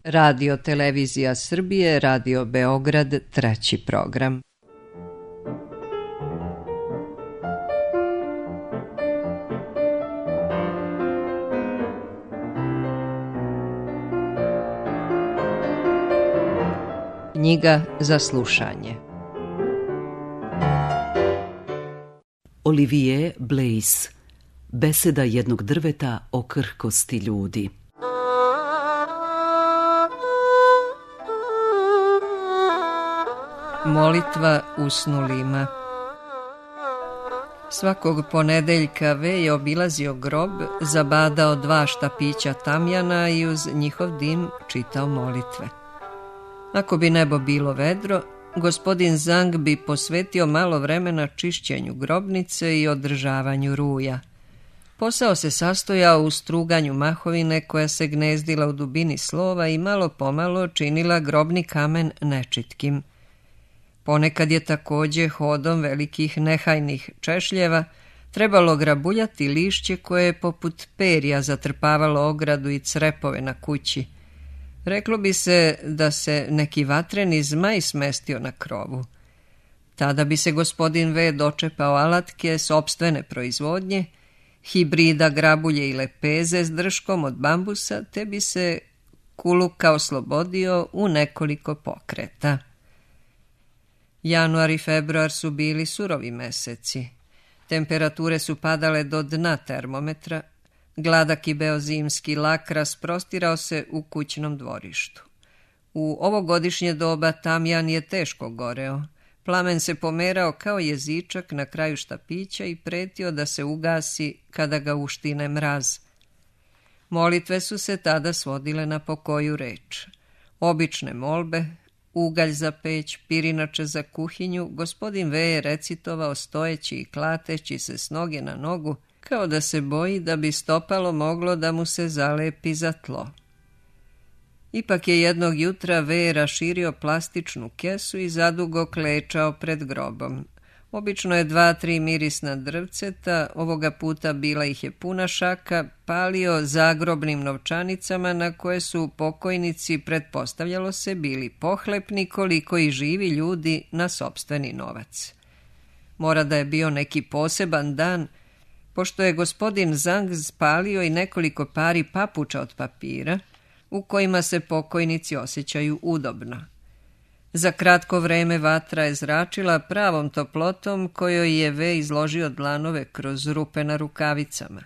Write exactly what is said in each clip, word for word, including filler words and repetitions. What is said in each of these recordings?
Radio Televizija Srbije, Radio Beograd, treći program. Knjiga za slušanje. Olivier Blaise, Beseda jednog drveta o krhkosti ljudi. Molitva usnulima. Svakog ponedeljka V je obilazio grob, zabadao dva štapića tamjana i uz njihov dim čitao molitve. Ako bi nebo bilo vedro, gospodin Zang bi posvetio malo vremena čišćenju grobnice i održavanju ruja. Posao se sastojao u struganju mahovine koja se gnezdila u dubini slova i malo pomalo činila grobni kamen nečitkim. Ponekad je također hodom velikih nehajnih češljeva trebalo grabuljati lišće koje je poput perja zatrpavalo ogradu i crepove na kući. Reklo bi se da se neki vatreni zmaj smestio na krovu. Tada bi se gospodin V dočepao alatke sopstvene proizvodnje, hibrida grabulje i lepeze s drškom od bambusa, te bi se kuluka oslobodio u nekoliko pokreta. Januar i februar su bili surovi meseci. Temperature su padale do dna termometra. Gladak i beozimski lak rasprostirao se u kućnom dvorištu. U ovogodišnje doba tamjan je teško goreo. Plamen se pomerao kao jezičak na kraju štapića i pretio da se ugasi kada ga uštine mraz. Molitve su se tada svodile na pokoju reč. Obične molbe, ugalj za peć, pirinače za kuhinju, gospodin V je recitovao stojeći i klateći se s noge na nogu, kao da se boji da bi stopalo moglo da mu se zalepi za tlo. Ipak je jednog jutra V raširio plastičnu kesu i zadugo klečao pred grobom. Obično je dva, tri mirisna drvceta, ovoga puta bila ih je puna šaka, palio zagrobnim novčanicama na koje su pokojnici, pretpostavljalo se, bili pohlepni koliko i živi ljudi na sopstveni novac. Mora da je bio neki poseban dan, pošto je gospodin Zang spalio i nekoliko pari papuča od papira, u kojima se pokojnici osjećaju udobno. Za kratko vreme vatra je zračila pravom toplotom kojoj je V izložio dlanove kroz rupe na rukavicama.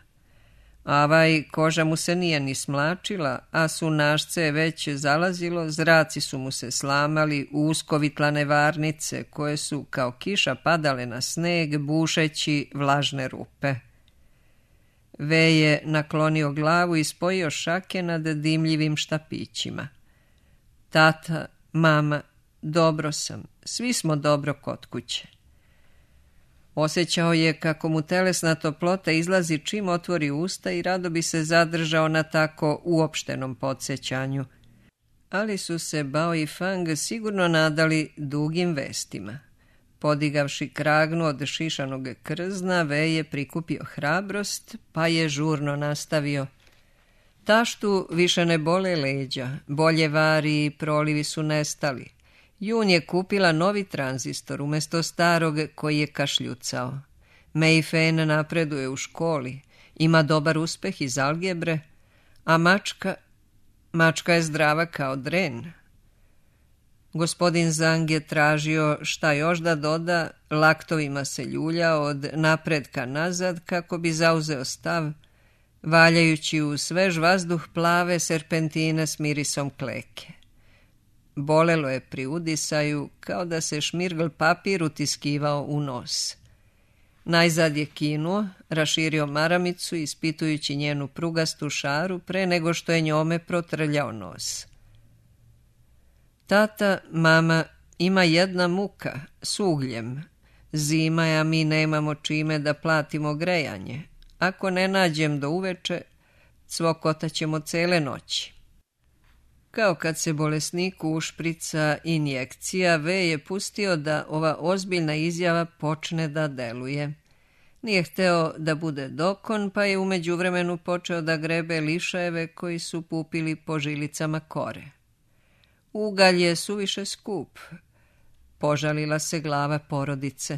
Avaj, koža mu se nije ni smlačila, a sunašce je već zalazilo, zraci su mu se slamali u uskovitlane varnice koje su kao kiša padale na sneg, bušeći vlažne rupe. V je naklonio glavu i spojio šake nad dimljivim štapićima. Tata, mama, dobro sam, svi smo dobro kod kuće. Osjećao je kako mu telesna toplota izlazi čim otvori usta i rado bi se zadržao na tako uopštenom podsjećanju. Ali su se Bao i Fang sigurno nadali dugim vestima. Podigavši kragnu od šišanog krzna, V je prikupio hrabrost, pa je žurno nastavio. Taštu više ne bole leđa, bolje vari i prolivi su nestali. Jun je kupila novi tranzistor umjesto starog koji je kašljucao. Mei Fen napreduje u školi, ima dobar uspeh iz algebre, a mačka, mačka je zdrava kao dren. Gospodin Zang je tražio šta još da doda, laktovima se ljuljao od napredka nazad kako bi zauzeo stav, valjajući u svež vazduh plave serpentine s mirisom kleke. Bolelo je pri udisaju, kao da se šmirgl papir utiskivao u nos. Najzad je kinuo, raširio maramicu, ispitujući njenu prugastu šaru pre nego što je njome protrljao nos. Tata, mama, ima jedna muka, s ugljem. Zima je, a mi nemamo čime da platimo grejanje. Ako ne nađem do uveče, cvokotaćemo cele noći. Kao kad se bolesniku ušprica injekcija, V je pustio da ova ozbiljna izjava počne da deluje. Nije hteo da bude dokon, pa je u međuvremenu počeo da grebe lišajeve koji su pupili po žilicama kore. Ugalj je suviše skup. Požalila se glava porodice.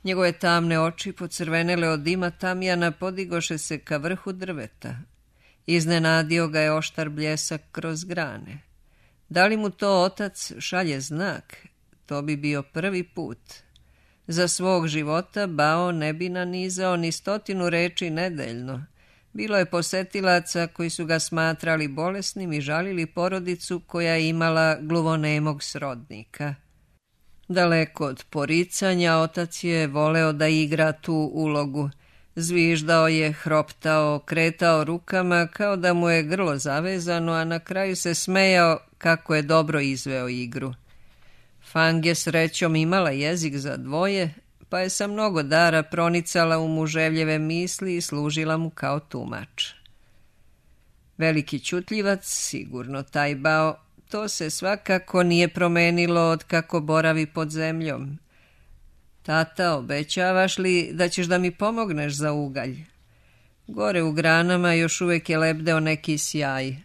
Njegove tamne oči, pocrvenele od dima tamjana, podigoše se ka vrhu drveta. Iznenadio ga je oštar bljesak kroz grane. Da li mu to otac šalje znak? To bi bio prvi put. Za svog života Bao ne bi nanizao ni stotinu reči nedeljno. Bilo je posetilaca koji su ga smatrali bolesnim i žalili porodicu koja je imala gluvonemog srodnika. Daleko od poricanja, otac je voleo da igra tu ulogu. Zviždao je, hroptao, kretao rukama kao da mu je grlo zavezano, a na kraju se smejao kako je dobro izveo igru. Fang je srećom imala jezik za dvoje, pa je sa mnogo dara pronicala u muževljeve misli i služila mu kao tumač. Veliki ćutljivac, sigurno taj Bao, to se svakako nije promenilo od kako boravi pod zemljom. Tata, obećavaš li da ćeš da mi pomogneš za ugalj? Gore u granama još uvijek je lebdeo neki sjaj.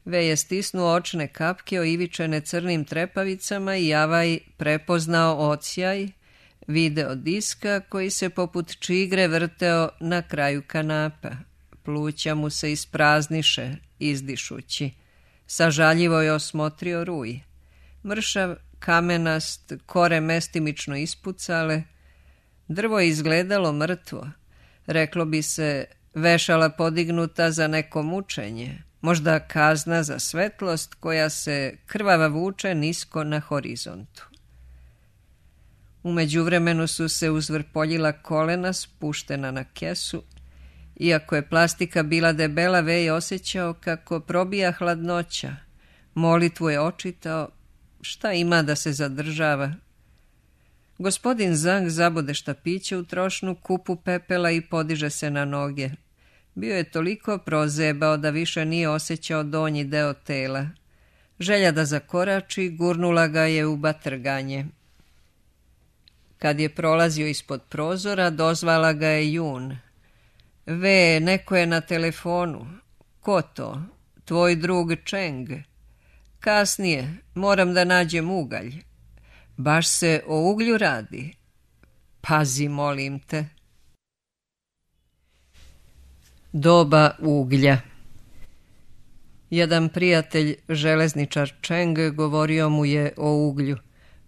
Ve je stisnuo očne kapke oivičene crnim trepavicama i Javaj prepoznao odsjaj, video diska koji se poput čigre vrteo na kraju kanapa. Pluća mu se isprazniše, izdišući. Sažaljivo je osmotrio ruj. Mršav, kamenast, kore mestimično ispucale. Drvo je izgledalo mrtvo. Reklo bi se vešala podignuta za neko mučenje. Možda kazna za svetlost koja se krvava vuče nisko na horizontu. U međuvremenu su se uzvrpoljila kolena spuštena na kesu. Iako je plastika bila debela, Ve je osjećao kako probija hladnoća. Molitvu je očitao. Šta ima da se zadržava? Gospodin Zhang zabode štapiće u trošnu kupu pepela i podiže se na noge. Bio je toliko prozebao da više nije osjećao donji deo tela. Želja da zakorači gurnula ga je u batrganje. Kad je prolazio ispod prozora, dozvala ga je Jun. Ve, neko je na telefonu. Ko to? Tvoj drug Čeng. Kasnije, moram da nađem ugalj. Baš se o uglju radi. Pazi, molim te. Doba uglja. Jedan prijatelj, železničar Čeng, govorio mu je o uglju,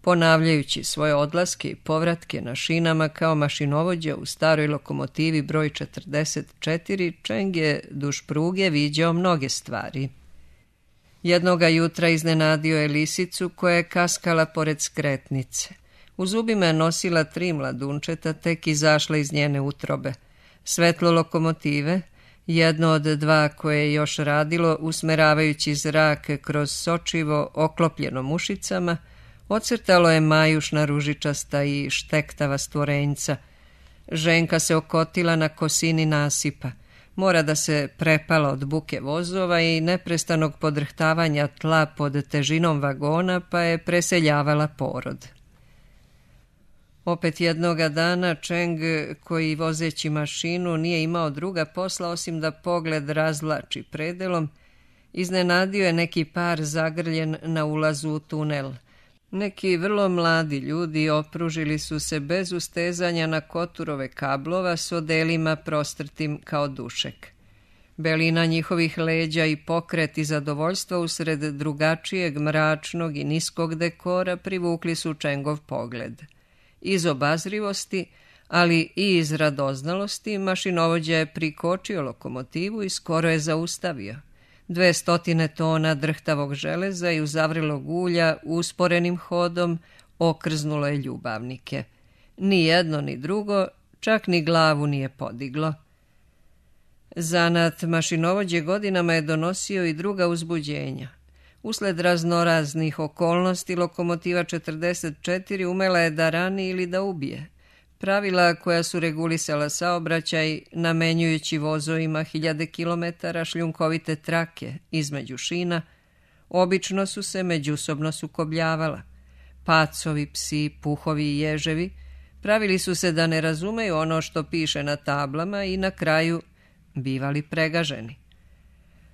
ponavljajući svoje odlaske i povratke na šinama kao mašinovođa u staroj lokomotivi broj četrdeset četiri. Čeng je duž pruge viđao mnoge stvari. Jednoga jutra iznenadio je lisicu koja je kaskala pored skretnice. U zubima je nosila tri mladunčeta, tek izašla iz njene utrobe. Svetlo lokomotive, jedno od dva koje je još radilo, usmeravajući zrak kroz sočivo oklopljeno mušicama, ocrtalo je majušna ružičasta i štektava stvorenjca. Ženka se okotila na kosini nasipa. Mora da se prepala od buke vozova i neprestanog podrhtavanja tla pod težinom vagona, pa je preseljavala porod. Opet jednoga dana Čeng, koji vozeći mašinu nije imao druga posla osim da pogled razvlači predelom, iznenadio je neki par zagrljen na ulazu u tunel. Neki vrlo mladi ljudi opružili su se bez ustezanja na koturove kablova s odelima prostrtim kao dušek. Belina njihovih leđa i pokret i zadovoljstvo usred drugačijeg, mračnog i niskog dekora privukli su Čengov pogled. Iz obazrivosti, ali i iz radoznalosti, mašinovođa je prikočio lokomotivu i skoro je zaustavio. Dve stotine tona drhtavog železa i uzavrilog ulja usporenim hodom okrznulo je ljubavnike. Ni jedno ni drugo, čak ni glavu nije podiglo. Zanat mašinovođe godinama je donosio i druga uzbuđenja. Usled raznoraznih okolnosti lokomotiva četrdeset četiri umela je da rani ili da ubije. Pravila koja su regulisala saobraćaj, namenjujući vozovima hiljade kilometara šljunkovite trake između šina, obično su se međusobno sukobljavala. Pacovi, psi, puhovi i ježevi pravili su se da ne razumeju ono što piše na tablama i na kraju bivali pregaženi.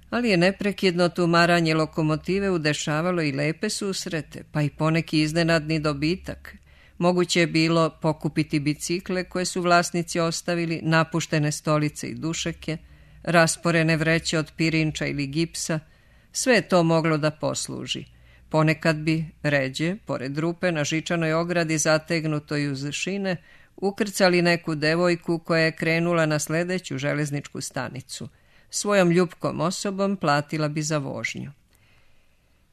Ali je neprekidno tumaranje lokomotive udešavalo i lepe susrete, pa i poneki iznenadni dobitak. Moguće je bilo pokupiti bicikle koje su vlasnici ostavili, napuštene stolice i dušeke, rasporene vreće od pirinča ili gipsa. Sve je to moglo da posluži. Ponekad bi, ređe, pored rupe na žičanoj ogradi zategnutoj uz šine, ukrcali neku devojku koja je krenula na sledeću železničku stanicu. Svojom ljupkom osobom platila bi za vožnju.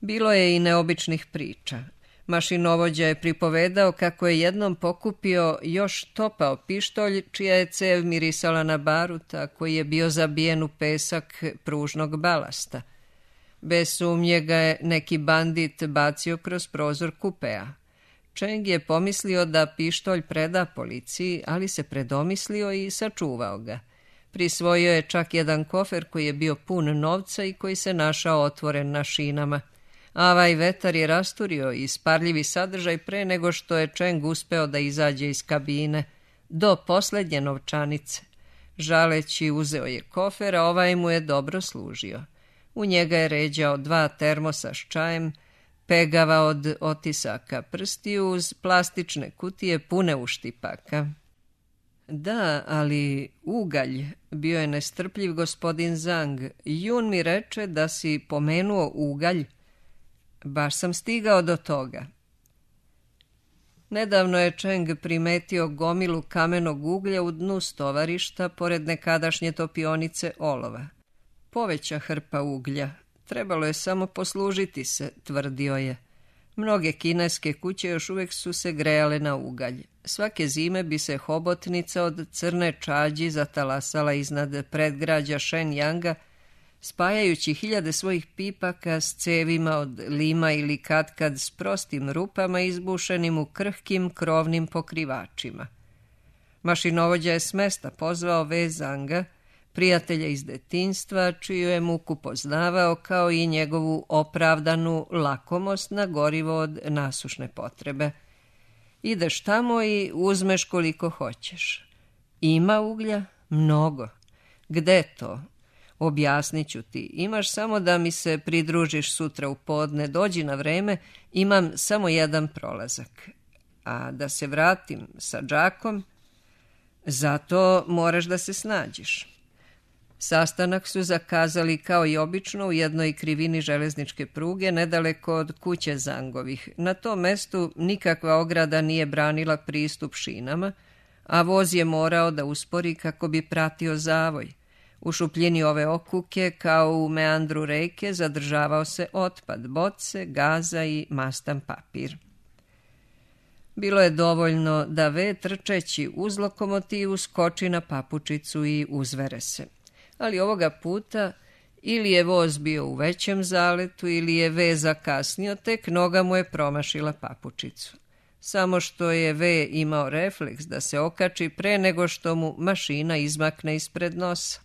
Bilo je i neobičnih priča. Mašinovođa je pripovedao kako je jednom pokupio još topao pištolj, čija je cev mirisala na baruta, koji je bio zabijen u pesak pružnog balasta. Bez sumnje ga je neki bandit bacio kroz prozor kupea. Čeng je pomislio da pištolj preda policiji, ali se predomislio i sačuvao ga. Prisvojio je čak jedan kofer koji je bio pun novca i koji se našao otvoren na šinama. Avaj vetar je rasturio isparljivi sadržaj pre nego što je Čeng uspeo da izađe iz kabine, do poslednje novčanice. Žaleći uzeo je kofer, a ovaj mu je dobro služio. U njega je ređao dva termosa s čajem, pegava od otisaka prstiju uz plastične kutije pune uštipaka. Da, ali ugalj, bio je nestrpljiv gospodin Zhang. Jun mi reče da si pomenuo ugalj. Baš sam stigao do toga. Nedavno je Čeng primetio gomilu kamenog uglja u dnu stovarišta pored nekadašnje topionice olova. Poveća hrpa uglja. Trebalo je samo poslužiti se, tvrdio je. Mnoge kineske kuće još uvijek su se grejale na ugalj. Svake zime bi se hobotnica od crne čađi zatalasala iznad predgrađa Shenyanga, spajajući hiljade svojih pipaka s cevima od lima ili katkad s prostim rupama izbušenim u krhkim krovnim pokrivačima. Mašinovođa je s mesta pozvao Ve Zanga, prijatelja iz detinjstva, čiju je muku poznavao, kao i njegovu opravdanu lakomost na gorivo od nasušne potrebe. Ideš tamo i uzmeš koliko hoćeš. Ima uglja? Mnogo. Gde to? Objasnit ću ti. Imaš samo da mi se pridružiš sutra u podne, dođi na vreme, imam samo jedan prolazak. A da se vratim sa džakom, zato moraš da se snađeš. Sastanak su zakazali kao i obično u jednoj krivini železničke pruge nedaleko od kuće Zangovih. Na tom mestu nikakva ograda nije branila pristup šinama, a voz je morao da uspori kako bi pratio zavoj. U šupljini ove okuke, kao u meandru reke, zadržavao se otpad, boce, gaza i mastan papir. Bilo je dovoljno da Ve, trčeći uz lokomotivu, skoči na papučicu i uzvere se. Ali ovoga puta ili je voz bio u većem zaletu ili je Ve zakasnio, tek noga mu je promašila papučicu. Samo što je Ve imao refleks da se okači pre nego što mu mašina izmakne ispred nosa.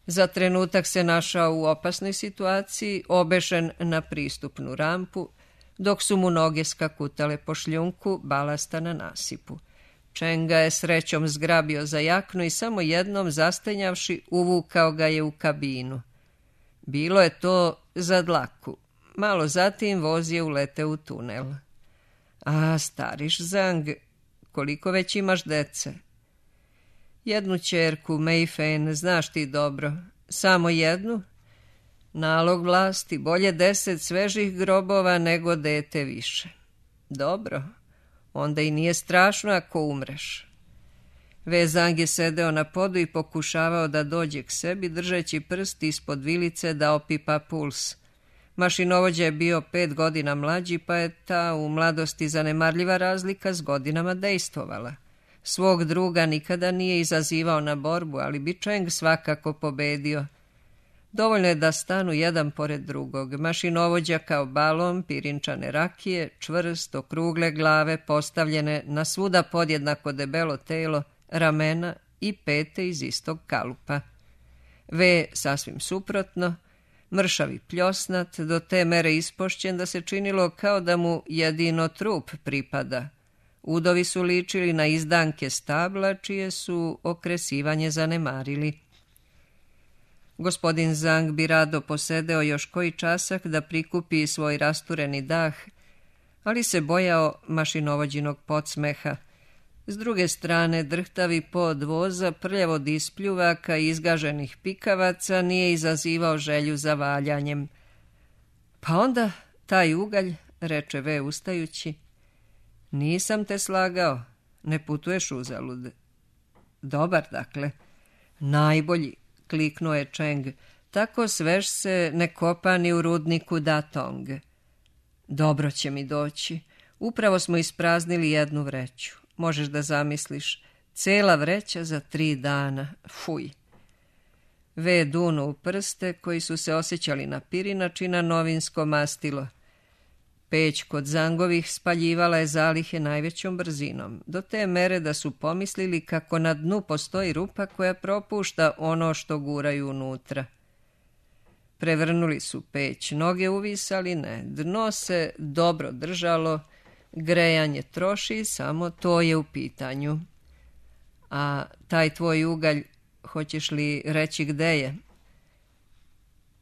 Za trenutak se našao u opasnoj situaciji, obešen na pristupnu rampu, dok su mu noge skakutale po šljunku balasta na nasipu. Čeng ga je srećom zgrabio za jaknu i samo jednom zastenjavši uvukao ga je u kabinu. Bilo je to za dlaku. Malo zatim voz je uleteo u tunel. A, stariš Zhang, koliko već imaš dece? Jednu ćerku, Mei Fen, znaš ti dobro. Samo jednu? Nalog vlasti, bolje deset svežih grobova nego dete više. Dobro, onda i nije strašno ako umreš. Ve Zang je sedeo na podu i pokušavao da dođe k sebi, držeći prst ispod vilice da opipa puls. Mašinovođa je bio pet godina mlađi, pa je ta u mladosti zanemarljiva razlika s godinama dejstvovala. Svog druga nikada nije izazivao na borbu, ali bi Čeng svakako pobedio. Dovoljno je da stanu jedan pored drugog. Mašinovođa kao balon, pirinčane rakije, čvrst, okrugle glave, postavljene na svuda podjednako debelo telo, ramena i pete iz istog kalupa. Ve sasvim suprotno, mršavi pljosnat, do te mere ispošćen da se činilo kao da mu jedino trup pripada. Udovi su ličili na izdanke stabla, čije su okresivanje zanemarili. Gospodin Zang bi rado posedeo još koji časak da prikupi svoj rastureni dah, ali se bojao mašinovođinog podsmeha. S druge strane, drhtavi pod voza, prljavo od ispljuvaka i izgaženih pikavaca nije izazivao želju za valjanjem. Pa onda taj ugalj, reče V ustajući, nisam te slagao, ne putuješ uzalud. Dobar, dakle. Najbolji, kliknuo je Čeng, tako svež se ne kopa ni u rudniku Datong. Dobro će mi doći. Upravo smo ispraznili jednu vreću. Možeš da zamisliš, cela vreća za tri dana. Fuj. V dunu u prste koji su se osjećali na pirinač i na novinsko mastilo. Peć kod Zangovih spaljivala je zalihe najvećom brzinom, do te mere da su pomislili kako na dnu postoji rupa koja propušta ono što guraju unutra. Prevrnuli su peć, noge uvisali, ne, dno se dobro držalo, grejanje troši, samo to je u pitanju. A taj tvoj ugalj, hoćeš li reći gde je?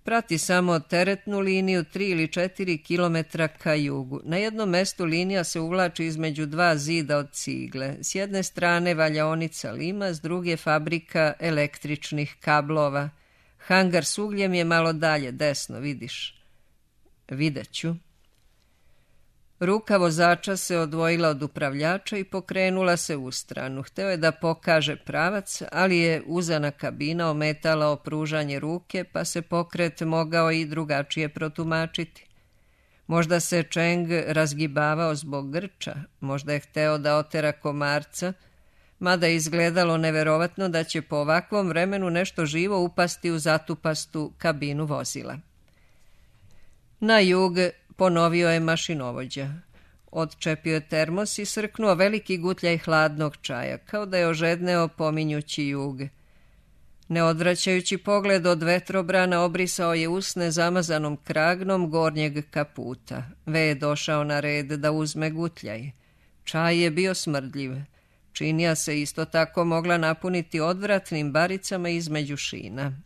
Prati samo teretnu liniju tri ili četiri kilometra ka jugu. Na jednom mestu linija se uvlači između dva zida od cigle. S jedne strane valjaonica Lima, s druge fabrika električnih kablova. Hangar s ugljem je malo dalje, desno, vidiš. Vidjet ću. Ruka vozača se odvojila od upravljača i pokrenula se u stranu. Hteo je da pokaže pravac, ali je uzana kabina ometala opružanje ruke, pa se pokret mogao i drugačije protumačiti. Možda se Čeng razgibavao zbog grča, možda je hteo da otera komarca, mada je izgledalo neverovatno da će po ovakvom vremenu nešto živo upasti u zatupastu kabinu vozila. Na jug ponovio je mašinovođa. Odčepio je termos i srknuo veliki gutljaj hladnog čaja, kao da je ožedneo pominjući jug. Ne odvraćajući pogled od vetrobrana, obrisao je usne zamazanom kragnom gornjeg kaputa. V je došao na red da uzme gutljaj. Čaj je bio smrdljiv. Činija se isto tako mogla napuniti odvratnim baricama između šina.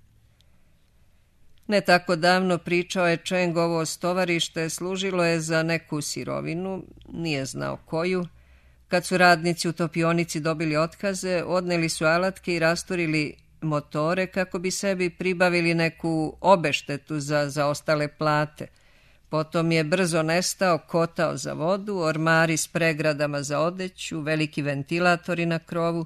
Ne tako davno pričao je Čeng ovo stovarište, služilo je za neku sirovinu, nije znao koju. Kad su radnici u topionici dobili otkaze, odneli su alatke i rasturili motore kako bi sebi pribavili neku obeštetu za zaostale plate. Potom je brzo nestao kotao za vodu, ormari s pregradama za odeću, veliki ventilatori na krovu.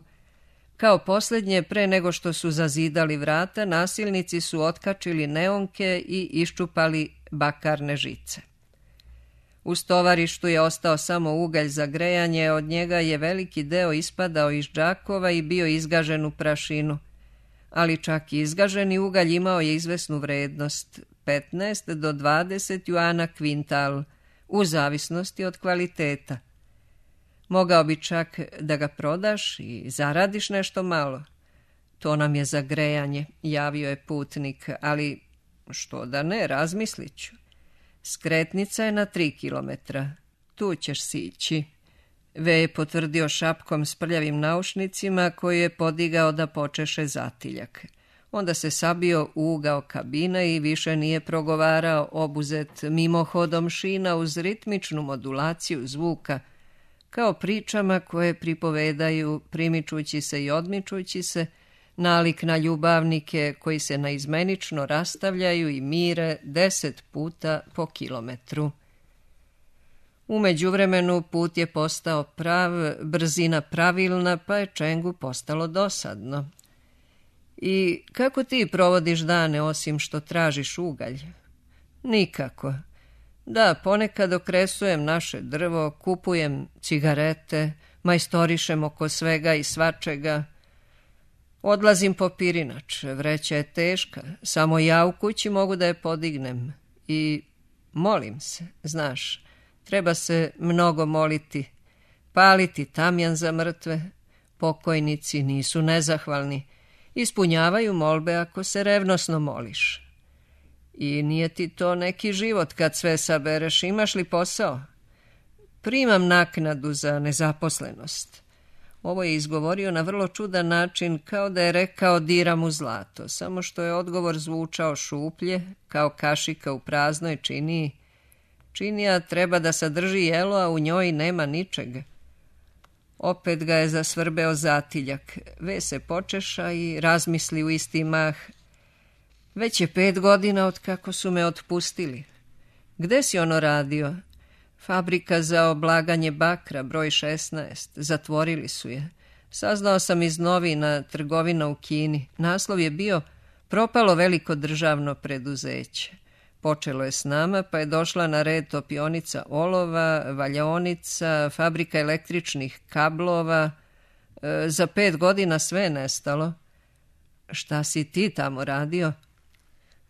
Kao posljednje, pre nego što su zazidali vrata, nasilnici su otkačili neonke i iščupali bakarne žice. U stovarištu je ostao samo ugalj za grejanje, od njega je veliki deo ispadao iz džakova i bio izgažen u prašinu. Ali čak i izgaženi ugalj imao je izvesnu vrednost, petnaest do dvadeset juana kvintal, u zavisnosti od kvaliteta. Mogao bi čak da ga prodaš i zaradiš nešto malo. To nam je za grejanje, javio je putnik, ali što da ne, razmislit ću. Skretnica je na tri kilometra. Tu ćeš sići. V je potvrdio šapkom s prljavim naušnicima koji je podigao da počeše zatiljak. Onda se sabio u ugao kabina i više nije progovarao, obuzet mimohodom šina uz ritmičnu modulaciju zvuka, kao pričama koje pripovedaju, primičući se i odmičući se, nalik na ljubavnike koji se naizmenično rastavljaju i mire deset puta po kilometru. U međuvremenu put je postao prav, brzina pravilna, pa je Čengu postalo dosadno. I kako ti provodiš dane osim što tražiš ugalj? Nikako. Da, ponekad okresujem naše drvo, kupujem cigarete, majstorišem oko svega i svačega. Odlazim po pirinač, vreća je teška, samo ja u kući mogu da je podignem. I molim se, znaš, treba se mnogo moliti, paliti tamjan za mrtve. Pokojnici nisu nezahvalni, ispunjavaju molbe ako se revnosno moliš. I nije ti to neki život kad sve sabereš, imaš li posao? Primam naknadu za nezaposlenost. Ovo je izgovorio na vrlo čudan način, kao da je rekao diram u zlato, samo što je odgovor zvučao šuplje, kao kašika u praznoj činiji. Činija treba da sadrži jelo, a u njoj nema ničega. Opet ga je zasvrbeo zatiljak. Ve se počeša i razmisli u isti mah. Već je pet godina od kako su me otpustili. Gde si ono radio? Fabrika za oblaganje bakra, broj šesnaest. Zatvorili su je. Saznao sam iz novina, trgovina u Kini. Naslov je bio propalo veliko državno preduzeće. Počelo je s nama, pa je došla na red topionica olova, valjaonica, fabrika električnih kablova. E, za pet godina sve je nestalo. Šta si ti tamo radio?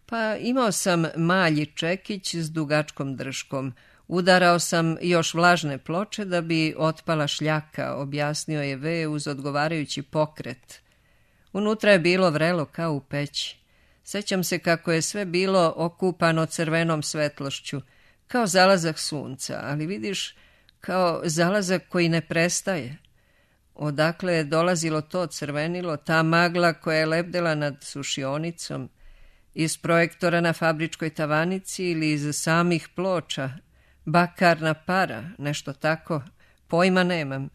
Pa imao sam malji čekić s dugačkom drškom. Udarao sam još vlažne ploče da bi otpala šljaka, objasnio je Ve uz odgovarajući pokret. Unutra je bilo vrelo kao u peći. Sećam se kako je sve bilo okupano crvenom svetlošću, kao zalazak sunca, ali vidiš, kao zalazak koji ne prestaje. Odakle je dolazilo to crvenilo, ta magla koja je lebdela nad sušionicom, iz projektora na fabričkoj tavanici ili iz samih ploča, bakarna para, nešto tako, pojma nemam. E,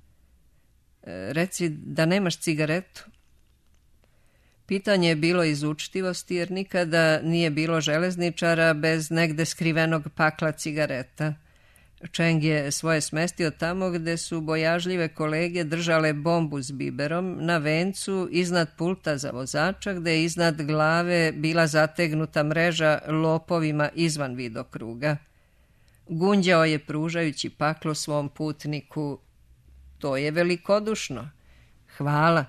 reci da nemaš cigaretu. Pitanje je bilo iz učtivosti, jer nikada nije bilo železničara bez negde skrivenog pakla cigareta. Čeng je svoje smestio tamo gde su bojažljive kolege držale bombu s biberom na vencu iznad pulta za vozača, gde je iznad glave bila zategnuta mreža lopovima izvan vidokruga. Gunđao je pružajući paklo svom putniku. To je velikodušno. Hvala.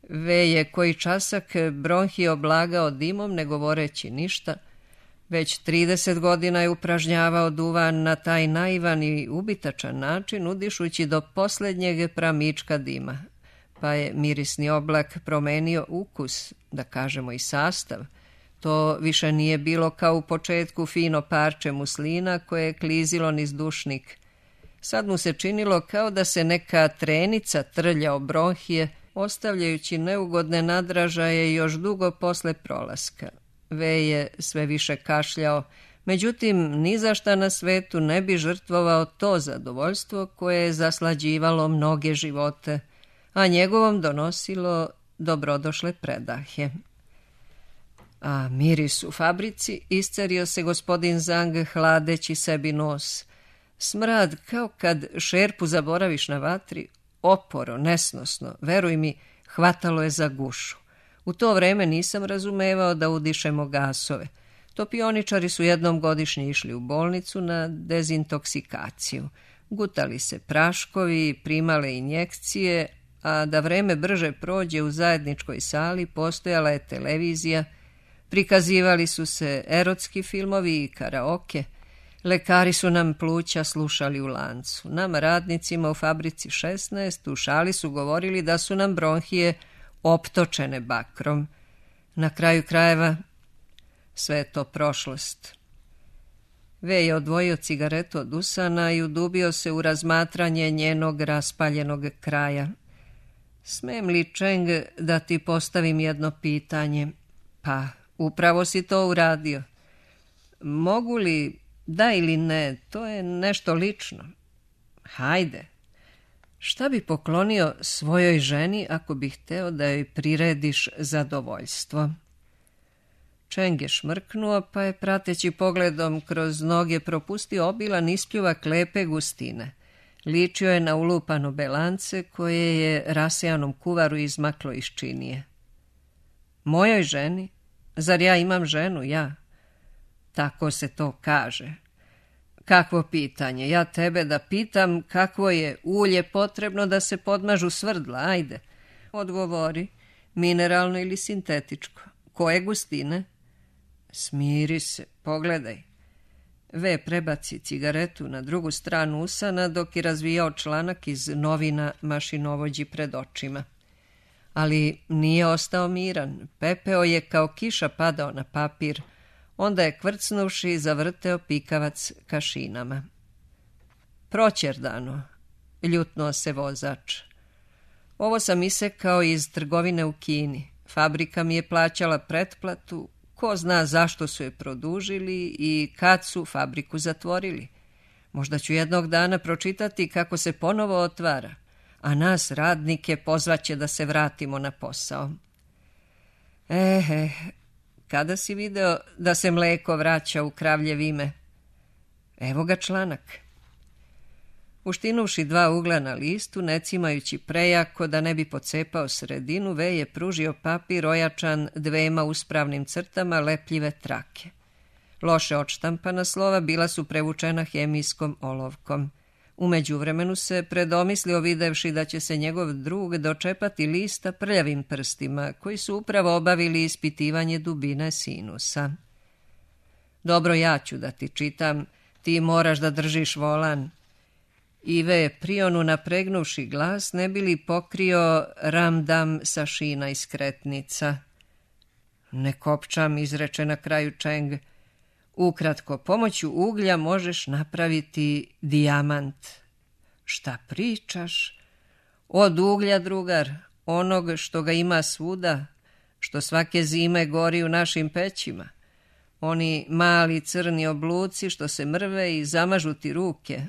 Ve je koji časak bronhi oblagao dimom, ne govoreći ništa. Već trideset godina je upražnjavao duvan na taj naivan i ubitačan način, udišući do posljednjeg pramička dima. Pa je mirisni oblak promenio ukus, da kažemo i sastav. To više nije bilo kao u početku fino parče muslina koje je klizilo niz dušnik. Sad mu se činilo kao da se neka trenica trlja o bronhije, ostavljajući neugodne nadražaje još dugo posle prolaska. Ve je sve više kašljao, međutim, ni za šta na svetu ne bi žrtvovao to zadovoljstvo koje je zaslađivalo mnoge živote, a njegovom donosilo dobrodošle predahe. A miris u fabrici, iscerio se gospodin Zhang hladeći sebi nos. Smrad kao kad šerpu zaboraviš na vatri, oporo, nesnosno, veruj mi, hvatalo je za gušu. U to vreme nisam razumevao da udišemo gasove. Topioničari su jednom godišnje išli u bolnicu na dezintoksikaciju. Gutali se praškovi, primale injekcije, a da vreme brže prođe u zajedničkoj sali postojala je televizija, prikazivali su se erotski filmovi i karaoke, lekari su nam pluća slušali u lancu. Nam radnicima u fabrici šesnaest u šali su govorili da su nam bronhije optočene bakrom. Na kraju krajeva sve je to prošlost. Ve je odvojio cigaretu od usana i udubio se u razmatranje njenog raspaljenog kraja. Smem li, Čeng, da ti postavim jedno pitanje? Pa, upravo si to uradio. Mogu li, da ili ne, to je nešto lično. Hajde. Šta bi poklonio svojoj ženi ako bi hteo da joj prirediš zadovoljstvo? Čeng je šmrknuo, pa je prateći pogledom kroz noge propustio obilan ispljuvak lepe gustine. Ličio je na ulupano belance koje je rasejanom kuvaru izmaklo iz činije. Mojoj ženi? Zar ja imam ženu, ja? Tako se to kaže. Kakvo pitanje? Ja tebe da pitam kakvo je ulje potrebno da se podmažu svrdla, ajde. Odgovori, mineralno ili sintetičko. Koje gustine? Smiri se, pogledaj. Ve prebaci cigaretu na drugu stranu usana dok je razvijao članak iz novina mašinovođi pred očima. Ali nije ostao miran, pepeo je kao kiša padao na papir, onda je kvrcnuvši zavrteo pikavac kašinama. Proćerdano, ljutnuo se vozač. Ovo sam isekao iz trgovine u Kini. Fabrika mi je plaćala pretplatu, ko zna zašto su je produžili i kad su fabriku zatvorili. Možda ću jednog dana pročitati kako se ponovo otvara, a nas radnike pozvaće da se vratimo na posao. Ehe, kada si video da se mleko vraća u kravlje ime? Evo ga članak. Uštinuši dva ugla na listu, ne cimajući prejako da ne bi pocepao sredinu, V je pružio papir ojačan dvema uspravnim crtama lepljive trake. Loše odštampana slova bila su prevučena hemijskom olovkom. U međuvremenu se predomislio videvši da će se njegov drug dočepati lista prljavim prstima, koji su upravo obavili ispitivanje dubine sinusa. Dobro, ja ću da ti čitam, ti moraš da držiš volan. Ive je prionu napregnuši glas, ne bi li pokrio ramdam sa šina i skretnica. Ne kopčam, izreče na kraju Čeng. Ukratko, pomoću uglja možeš napraviti dijamant. Šta pričaš? Od uglja, drugar, onog što ga ima svuda, što svake zime gori u našim pećima. Oni mali crni obluci što se mrve i zamažu ti ruke.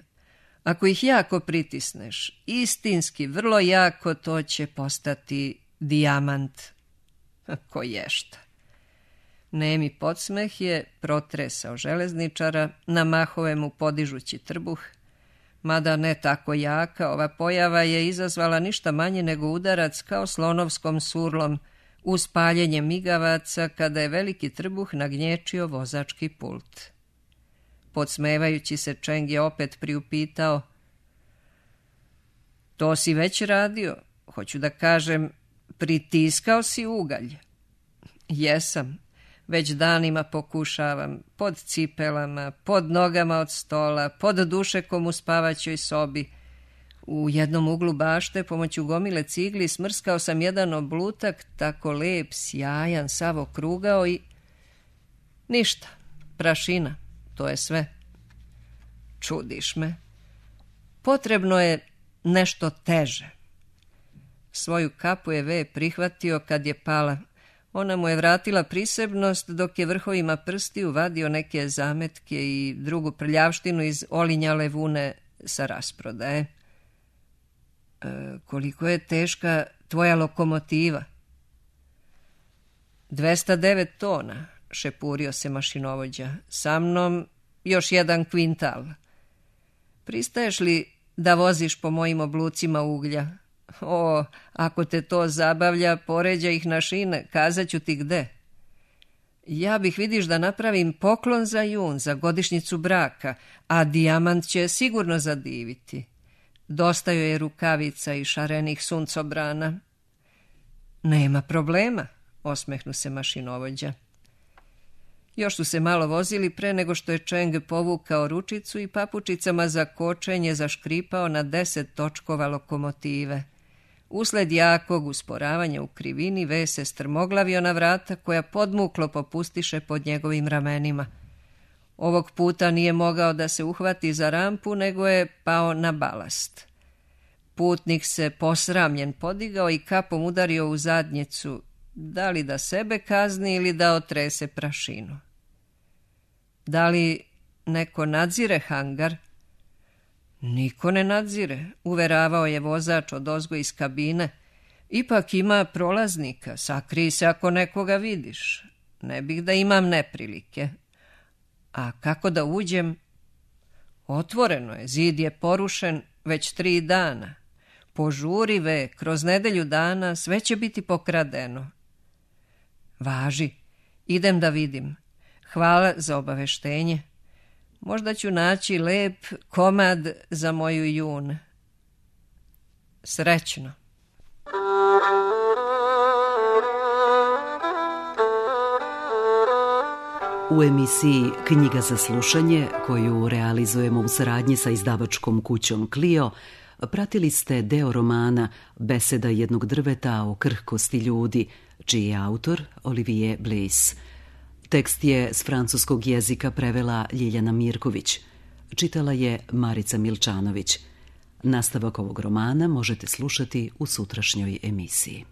Ako ih jako pritisneš, istinski, vrlo jako, to će postati dijamant. Ko ješta. Nemi podsmeh je protresao železničara, na mahove mu podižući trbuh. Mada ne tako jaka, ova pojava je izazvala ništa manje nego udarac kao slonovskom surlom uz paljenje migavaca kada je veliki trbuh nagnječio vozački pult. Podsmevajući se, Čeng je opet priupitao: to si već radio? Hoću da kažem, pritiskao si ugalj? Jesam. Već danima pokušavam, pod cipelama, pod nogama od stola, pod dušekom u spavaćoj sobi. U jednom uglu bašte, pomoću gomile cigli, smrskao sam jedan oblutak, tako lep, sjajan, sav okrugao i... ništa, prašina, to je sve. Čudiš me. Potrebno je nešto teže. Svoju kapu je V prihvatio kad je pala. Ona mu je vratila prisebnost dok je vrhovima prstiju vadio neke zametke i drugu prljavštinu iz olinjale vune sa rasprodaje. E, koliko je teška tvoja lokomotiva? dvesta devet tona, šepurio se mašinovođa. Sa mnom još jedan kvintal. Pristaješ li da voziš po mojim oblucima uglja? O, ako te to zabavlja, poređa ih na šine, kazat ću ti gde. Ja bih, vidiš, da napravim poklon za jun, za godišnjicu braka, a dijamant će sigurno zadiviti. Dosta joj je rukavica i šarenih suncobrana. Nema problema, osmehnu se mašinovođa. Još su se malo vozili pre nego što je Čeng povukao ručicu i papučicama za kočenje zaškripao na deset točkova lokomotive. Usled jakog usporavanja u krivini, V se strmoglavio na vrata koja podmuklo popustiše pod njegovim ramenima. Ovog puta nije mogao da se uhvati za rampu, nego je pao na balast. Putnik se posramljen podigao i kapom udario u zadnjicu, da li da sebe kazni ili da otrese prašinu. Da li neko nadzire hangar? Niko ne nadzire, uveravao je vozač odozgo iz kabine. Ipak ima prolaznika, sakrij se ako nekoga vidiš. Ne bih da imam neprilike. A kako da uđem? Otvoreno je, zid je porušen već tri dana. Požuri, V, kroz nedelju dana sve će biti pokradeno. Važi, idem da vidim. Hvala za obaveštenje. Možda ću naći lep komad za moju jun. Srećno. U emisiji Knjiga za slušanje, koju realizujemo u saradnji sa izdavačkom kućom Clio, pratili ste deo romana Beseda jednog drveta o krhkosti ljudi, čiji je autor Olivier Bliss. Tekst je s francuskog jezika prevela Ljiljana Mirković. Čitala je Marica Milčanović. Nastavak ovog romana možete slušati u sutrašnjoj emisiji.